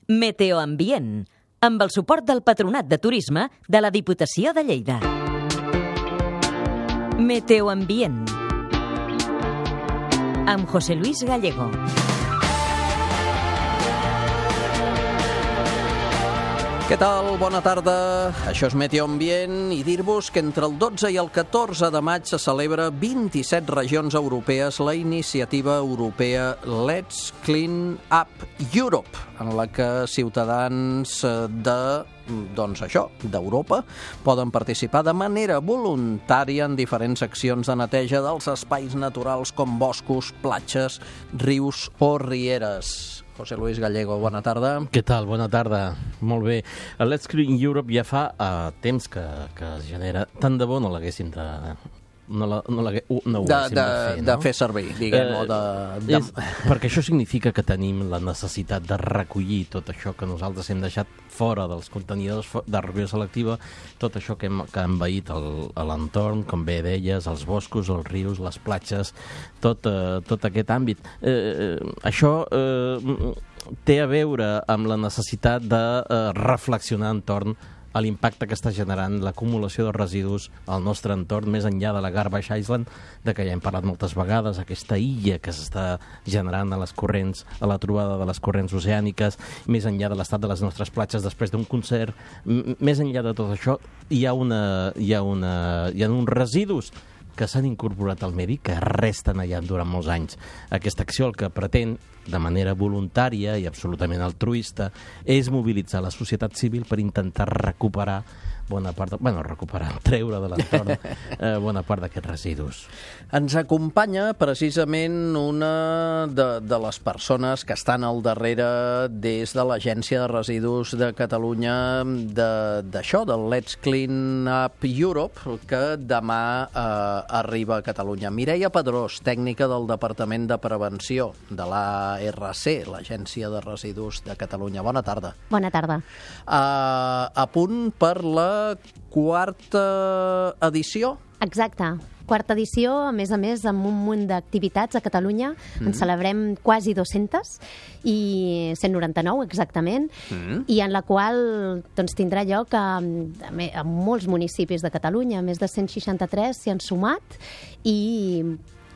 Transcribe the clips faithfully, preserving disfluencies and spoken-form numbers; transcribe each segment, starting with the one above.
Meteoambient, amb el suport del Patronat de Turisme de la Diputació de Lleida. Meteoambient, amb José Luis Gallego. Què tal? Bona tarda. Això és Meteoambient i dir-vos que entre el dotze i el catorze de maig se celebra vint-i-set regions europees la iniciativa europea Let's Clean Up Europe, en la que ciutadans de, doncs això, d'Europa poden participar de manera voluntària en diferents accions de neteja dels espais naturals com boscos, platges, rius o rieres. José Luis Gallego, bona tarda. Què tal? Bona tarda. Molt bé. El Let's Clean Europe ja fa uh, temps que, que es genera. Tant de bo no l'haguéssim de... No, la, no, la, no ho de, haguéssim de, de fer, no? De fer servir, diguem, eh, o de... de... És, perquè això significa que tenim la necessitat de recollir tot això que nosaltres hem deixat fora dels contenidors de recollir selectiva, tot això que hem, que ha envaït l'entorn, com bé deies, els boscos, els rius, les platges, tot, eh, tot aquest àmbit. Eh, això eh, té a veure amb la necessitat de eh, reflexionar entorn a l'impacte que està generant l'acumulació de residus al nostre entorn, més enllà de la Garbage Island, de què ja hem parlat moltes vegades, aquesta illa que s'està generant a les corrents, a la trobada de les corrents oceàniques, més enllà de l'estat de les nostres platges després d'un concert. Més enllà de tot això, hi ha, una, hi ha, una, hi ha uns residus que s'han incorporat al medi, que resten allà durant molts anys. Aquesta acció el que pretén, de manera voluntària i absolutament altruista, és mobilitzar la societat civil per intentar recuperar bona part, de, bueno, recuperar, treure de l'entorn eh, bona part d'aquests residus. Ens acompanya precisament una de, de les persones que estan al darrere des de l'Agència de Residus de Catalunya d'això, de, del Let's Clean Up Europe, que demà eh, arriba a Catalunya. Mireia Pedrós, tècnica del Departament de Prevenció de l'A R C, l'Agència de Residus de Catalunya. Bona tarda. Bona tarda. Eh, a punt per la quarta edició? Exacte. Quarta edició, a més a més, amb un munt d'activitats a Catalunya. Mm. En celebrem quasi dues-centes, i cent noranta-nou exactament, mm. i en la qual doncs, tindrà lloc a, a molts municipis de Catalunya. Més de cent seixanta-tres s'hi han sumat, i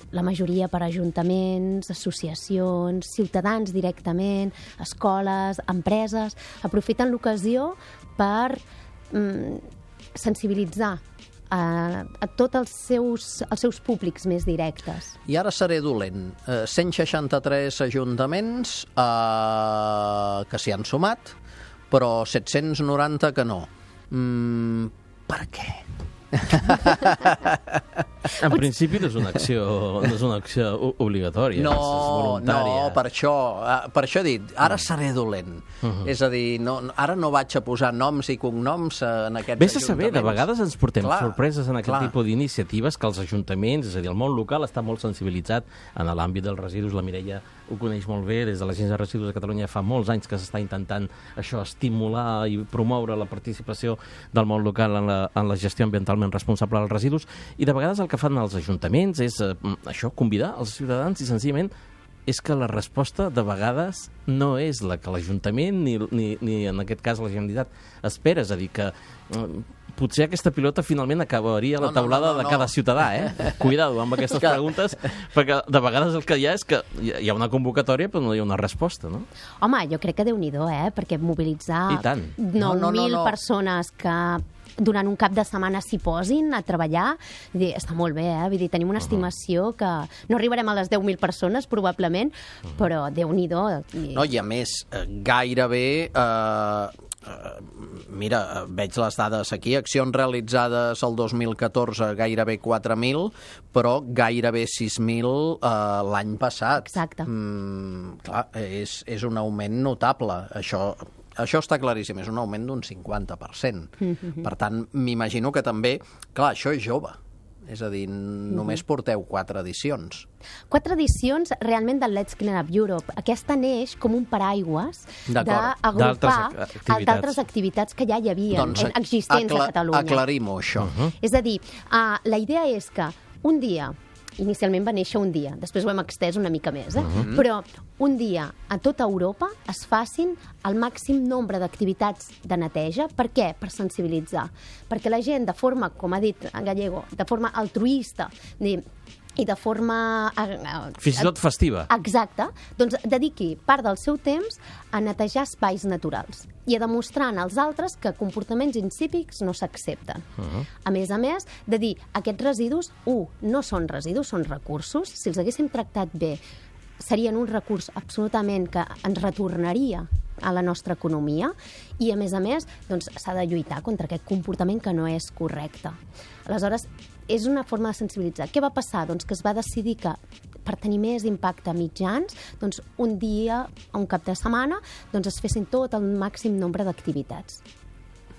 la majoria per ajuntaments, associacions, ciutadans directament, escoles, empreses, aprofiten l'ocasió per sensibilitzar a, a tots els seus, els seus públics més directes. I ara seré dolent. Eh, cent seixanta-tres ajuntaments eh, que s'hi han sumat, però set-cents noranta que no. Mm, per què? En principi no és una acció, no és una acció obligatòria, no, és voluntària. No, per això, per això he dit, ara seré dolent. Uh-huh. És a dir, no, ara no vaig a posar noms i cognoms en aquests Ves ajuntaments. a saber, de vegades ens portem clar, sorpreses en aquest clar. tipus d'iniciatives que els ajuntaments, és a dir, el món local està molt sensibilitzat en l'àmbit dels residus. La Mireia ho coneix molt bé, des de l'Agència de Residus de Catalunya fa molts anys que s'està intentant això, estimular i promoure la participació del món local en la, en la gestió ambientalment responsable dels residus, i de vegades el que fan els ajuntaments és eh, això, convidar els ciutadans, i senzillament és que la resposta de vegades no és la que l'Ajuntament ni, ni, ni en aquest cas la Generalitat espera, és a dir, que eh, potser aquesta pilota finalment acabaria a la no, taulada no, no, no, de cada no. ciutadà, eh? Cuidado amb aquestes preguntes, perquè de vegades el que hi ha és que hi ha una convocatòria però no hi ha una resposta, no? Home, jo crec que Déu-n'hi-do, eh? Perquè mobilitzar nou mil no, no, no. persones que durant un cap de setmana s'hi posin a treballar, dir, està molt bé, eh? Vull dir, tenim una estimació que no arribarem a les deu mil persones, probablement, però Déu-n'hi-do. No, i a més, gairebé... Eh... Uh, mira, veig les dades aquí, accions realitzades el dos mil catorze gairebé quatre mil, però gairebé sis mil uh, l'any passat. Exacte. Mm, clar, és, és un augment notable. Això, això està claríssim, és un augment d'un cinquanta per cent. Mm-hmm. Per tant, m'imagino que també... Clar, això és jove. És a dir, només porteu quatre edicions. Quatre edicions realment del Let's Clean Up Europe. Aquesta neix com un paraigües d'agrupar d'altres activitats que ja hi havia, doncs, existents a Catalunya. Aclarim-ho, això. Uh-huh. És a dir, uh, la idea és que un dia inicialment va néixer un dia, després ho hem extès una mica més, eh? Mhm. Però un dia a tota Europa es facin el màxim nombre d'activitats de neteja. Per què? Per sensibilitzar. Perquè la gent, de forma, com ha dit en Gallego, de forma altruista, i de forma... Fins i tot festiva. Exacte. Doncs dediqui part del seu temps a netejar espais naturals i a demostrar als altres que comportaments insípics no s'accepten. Uh-huh. A més a més, de dir, aquests residus, un, no són residus, són recursos. Si els haguéssim tractat bé, serien un recurs absolutament que ens retornaria a la nostra economia i, a més a més, doncs, s'ha de lluitar contra aquest comportament que no és correcte. Aleshores, és una forma de sensibilitzar. Què va passar? Doncs que es va decidir que per tenir més impacte a mitjans, doncs un dia, un cap de setmana, doncs es fessin tot el màxim nombre d'activitats.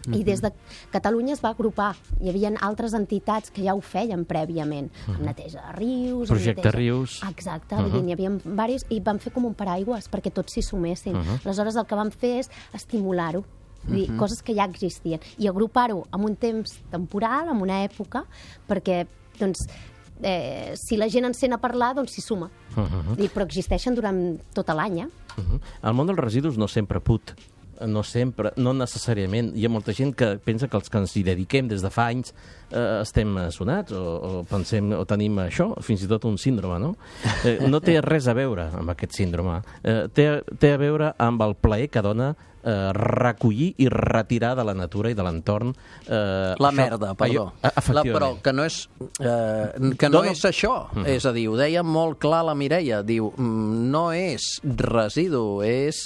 Mm-hmm. I des de Catalunya es va agrupar. Hi havia altres entitats que ja ho feien prèviament. Mm-hmm. Neteja de rius... Projecte neteja... Rius... Exacte, mm-hmm. Hi havia diversos, i van fer com un paraigües perquè tots s'hi sumessin. Mm-hmm. Aleshores, el que van fer és estimular-ho. Dir, uh-huh. coses que ja existien, i agrupar-ho en un temps temporal, en una època, perquè doncs, eh, si la gent en sent a parlar, doncs s'hi suma. Uh-huh. I, però existeixen durant tot l'any. Eh? Uh-huh. El món dels residus no sempre put, no sempre, no necessàriament. Hi ha molta gent que pensa que els que ens hi dediquem des de fa anys eh, estem sonats o, o pensem o tenim això, fins i tot un síndrome, no? Eh, no té res a veure amb aquest síndrome. Eh, té, té a veure amb el plaer que dona Eh, recollir i retirar de la natura i de l'entorn eh, la això, merda, perdó. Allò, la, però que no és, eh, que no Dona... és això. Mm. És a dir, ho deia molt clar la Mireia. Diu, no és residu, és...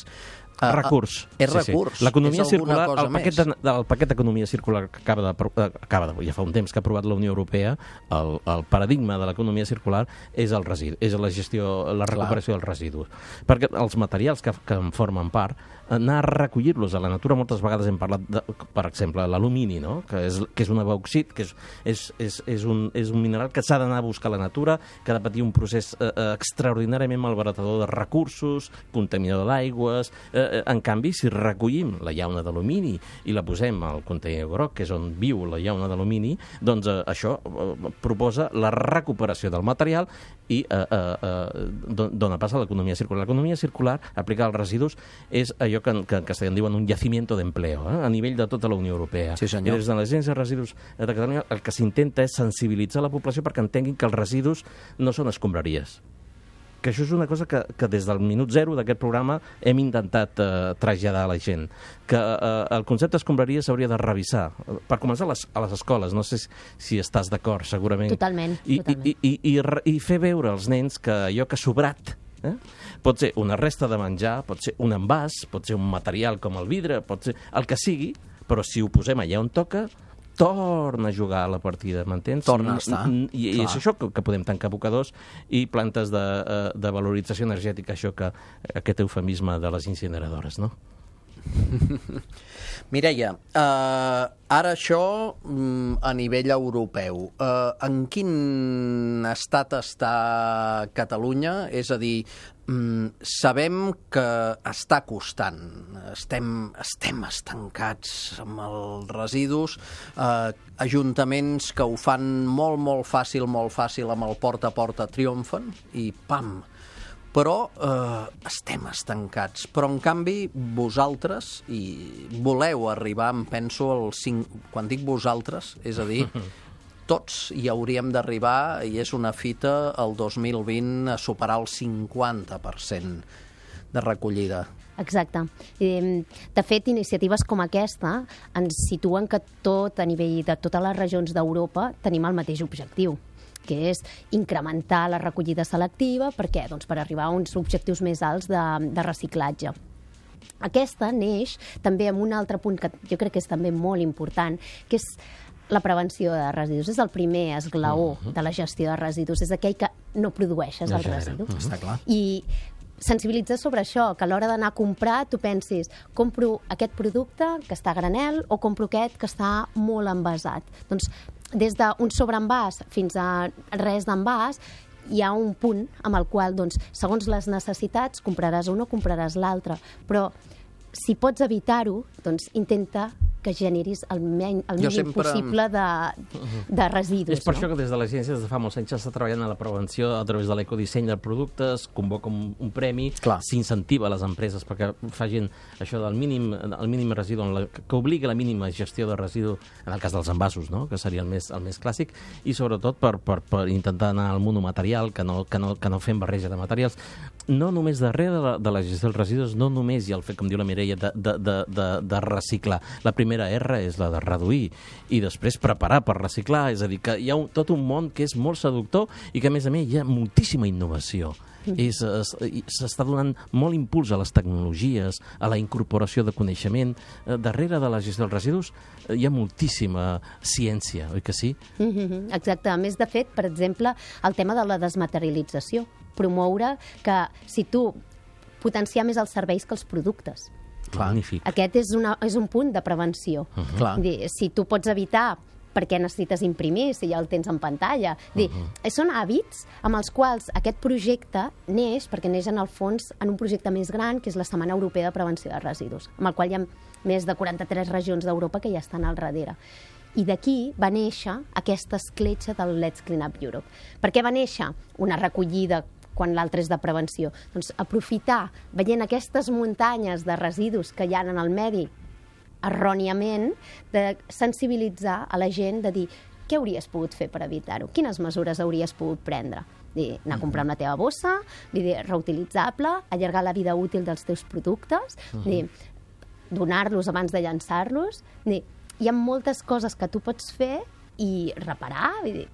Uh, recurs. És sí, recurs. Sí. L'economia circular, el paquet, de, de, el paquet d'economia circular que acaba de, acaba de, ja fa un temps que ha aprovat la Unió Europea, el, el paradigma de l'economia circular és el residu, és la gestió, la recuperació Clar. dels residus. Perquè els materials que, que en formen part, anar a recollir-los a la natura, moltes vegades hem parlat, de, per exemple, l'alumini, no? que, és, que és un bauxit, que és, és, és, és, un, és un mineral que s'ha d'anar a buscar a la natura, que ha de patir un procés eh, extraordinàriament malbaratador de recursos, contaminador d'aigües... Eh, En canvi, si recollim la llauna d'alumini i la posem al contenidor groc, que és on viu la llauna d'alumini, doncs eh, això eh, proposa la recuperació del material i eh, eh, eh, dona pas a l'economia circular. L'economia circular, aplicada als residus, és allò que, que en castellà en diuen un yacimiento d'empleo, eh, a nivell de tota la Unió Europea. Sí, senyor. I des de l'Agència de Residus de Catalunya el que s'intenta és sensibilitzar la població perquè entenguin que els residus no són escombraries. Que això és una cosa que, que des del minut zero d'aquest programa hem intentat eh, traslladar a la gent, que eh, el concepte d'escombraria s'hauria de revisar. Per començar, a les, a les escoles, no sé si, si estàs d'acord, segurament. Totalment, I, totalment. I, i, i, i, I fer veure als nens que allò que ha sobrat eh, pot ser una resta de menjar, pot ser un envàs, pot ser un material com el vidre, pot ser el que sigui, però si ho posem allà on toca, torna a jugar a la partida, m'entens? Torna a estar. I, i és això que, que podem tancar abocadors i plantes de, de valorització energètica, això que aquest eufemisme de les incineradores, no? Mireia, uh, ara això mm, a nivell europeu, uh, en quin estat està Catalunya? És a dir, mm, sabem que està costant, estem, estem estancats amb els residus, uh, ajuntaments que ho fan molt, molt fàcil, molt fàcil amb el porta a porta triomfen i pam! Però eh, estem estancats. Però, en canvi, vosaltres, i voleu arribar, em penso, al cinc... quan dic vosaltres, és a dir, tots hi hauríem d'arribar, i és una fita, el dos mil vint, a superar el cinquanta per cent de recollida. Exacte. De fet, iniciatives com aquesta ens situen que tot, a nivell de totes les regions d'Europa, tenim el mateix objectiu, que és incrementar la recollida selectiva. Per què? Doncs per arribar a uns objectius més alts de, de reciclatge. Aquesta neix també amb un altre punt que jo crec que és també molt important, que és la prevenció de residus. És el primer esglaó uh-huh. de la gestió de residus. És aquell que no produeixes el residu. Uh-huh. Està clar. I sensibilitzar sobre això, que a l'hora d'anar a comprar tu pensis, compro aquest producte que està a granel o compro aquest que està molt envasat. Doncs des d'un sobreenvàs fins a res d'envàs hi ha un punt amb el qual, doncs, segons les necessitats, compraràs un o compraràs l'altre. Però si pots evitar-ho, doncs intenta que generis el, men el Jo mínim sempre... possible de, de residus. És per no? això que des de l'agència des de fa molts anys s'està treballant a la prevenció a través de l'ecodisseny de productes, convoca un, un premi, s'incentiva a les empreses perquè facin això del mínim, el mínim residu, la, que obligui la mínima gestió de residu, en el cas dels envasos, no? Que seria el més, el més clàssic, i sobretot per, per, per intentar anar al monomaterial, que no, que, no, que no fem barreja de materials. No només darrere de la, de la gestió dels residus, no només hi ha el fet, com diu la Mireia, de, de, de, de, de reciclar. La primera R és la de reduir i després preparar per reciclar, és a dir, que hi ha un, tot un món que és molt seductor i que, a més a més, hi ha moltíssima innovació. S'està donant molt impuls a les tecnologies, a la incorporació de coneixement. Darrere de la gestió dels residus hi ha moltíssima ciència, oi que sí? Mm-hmm, exacte. A més, de fet, per exemple, el tema de la desmaterialització. Promoure que si tu potenciar més els serveis que els productes. Magnífic. Aquest és, una, és un punt de prevenció. Uh-huh. Clar. Dir, si tu pots evitar perquè necessites imprimir, si ja el tens en pantalla. Dir, uh-huh. Són hàbits amb els quals aquest projecte neix, perquè neix en el fons en un projecte més gran, que és la Setmana Europea de Prevenció de Residus, amb el qual hi ha més de quaranta-tres regions d'Europa que ja estan al darrere. I d'aquí va néixer aquesta escletxa del Let's Clean Up Europe. Per què va néixer? Una recollida quan l'altre és de prevenció. Doncs aprofitar, veient aquestes muntanyes de residus que hi ha en el medi, erròniament, de sensibilitzar a la gent, de dir què hauries pogut fer per evitar-ho, quines mesures hauries pogut prendre. Dir, anar a comprar amb la teva bossa, dir, reutilitzable, allargar la vida útil dels teus productes, dir, donar-los abans de llançar-los. Dir, hi ha moltes coses que tu pots fer i reparar, dir,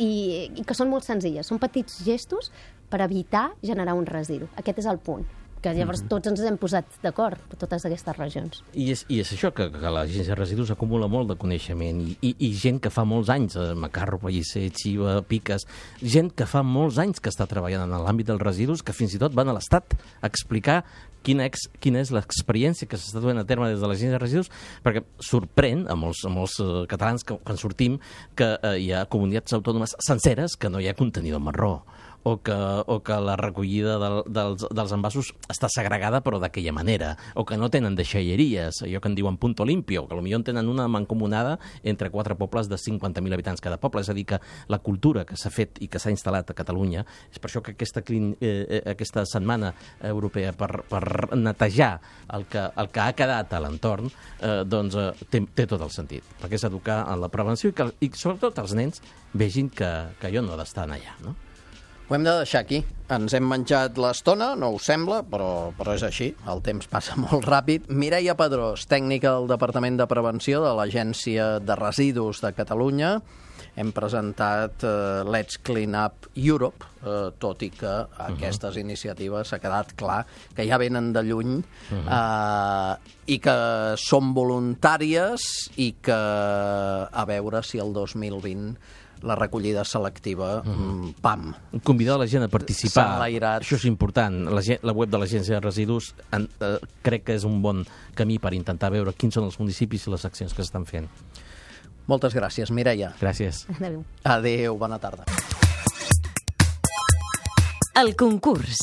i, i que són molt senzilles. Són petits gestos per evitar generar un residu. Aquest és el punt. Que llavors tots ens hem posat d'acord, totes aquestes regions. I és, i és això, que, que l'agència de residus acumula molt de coneixement i, i, i gent que fa molts anys, eh, Macarro, Pellicer, Xiva, Piques, gent que fa molts anys que està treballant en l'àmbit dels residus, que fins i tot van a l'Estat a explicar quina, ex, quina és l'experiència que s'està duent a terme des de l'agència de residus, perquè sorprèn a molts, a molts uh, catalans que quan sortim que uh, hi ha comunitats autònomes senceres que no hi ha contenidor marró, o que, o que la recollida del, dels, dels envasos està segregada però d'aquella manera, o que no tenen deixalleries, allò que en diuen punto limpio, que potser en tenen una mancomunada entre quatre pobles de cinquanta mil habitants cada poble. És a dir, que la cultura que s'ha fet i que s'ha instal·lat a Catalunya, és per això que aquesta, eh, aquesta setmana europea per, per netejar el que, el que ha quedat a l'entorn, eh, doncs eh, té, té tot el sentit, perquè és educar en la prevenció i, que, i sobretot els nens vegin que, que allò no ha d'estar allà, no? Ho hem de deixar aquí. Ens hem menjat l'estona, no us sembla, però, però és així. El temps passa molt ràpid. Mireia Pedrós, tècnica del Departament de Prevenció de l'Agència de Residus de Catalunya. Hem presentat eh, Let's Clean Up Europe, eh, tot i que aquestes uh-huh. iniciatives s'ha quedat clar que ja venen de lluny uh-huh. eh, i que són voluntàries i que a veure si el dos mil vint la recollida selectiva, mm. pam. Convidar la gent a participar, enlairat. Això és important. La, gent, la web de l'Agència de Residus en, eh, crec que és un bon camí per intentar veure quins són els municipis i les accions que s'estan fent. Moltes gràcies, Mireia. Gràcies. Adéu. Adéu, bona tarda. El concurs.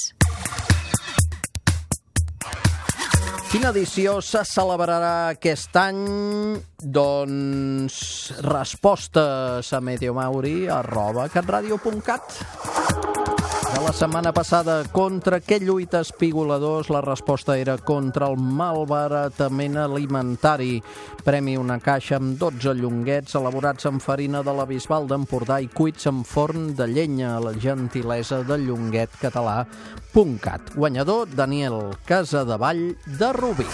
Quina edició se celebrarà aquest any? Doncs respostes a meteomauri arroba catradio punt cat. De la setmana passada, contra què lluita Espigoladors? La resposta era contra el malbaratament alimentari. Premi una caixa amb dotze llonguets elaborats amb farina de la Bisbal d'Empordà i cuits en forn de llenya, a la gentilesa de llonguet català punt cat. Guanyador, Daniel Casadevall de Rubí.